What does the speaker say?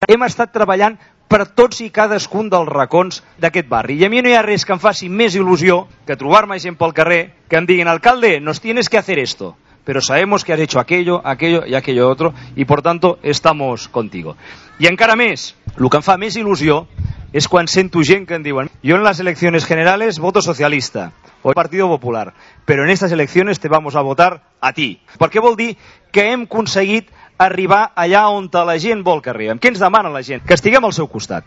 Hem estat treballant per tots i cadascun dels racons d'aquest barri. I a mi no hi ha res que em faci més il·lusió que trobar-me gent pel carrer que em diguin: alcalde, nos tienes que hacer esto, pero sabemos que has hecho aquello, aquello y aquello otro, y por tanto estamos contigo. I encara més, el que em fa més il·lusió és quan sento gent que em diuen: yo en las elecciones generales voto socialista o Partido Popular, pero en estas elecciones te vamos a votar a ti. Perquè vol dir que hem aconseguit arribar allà on la gent vol que arribem. Què ens demana la gent? Que estiguem al seu costat.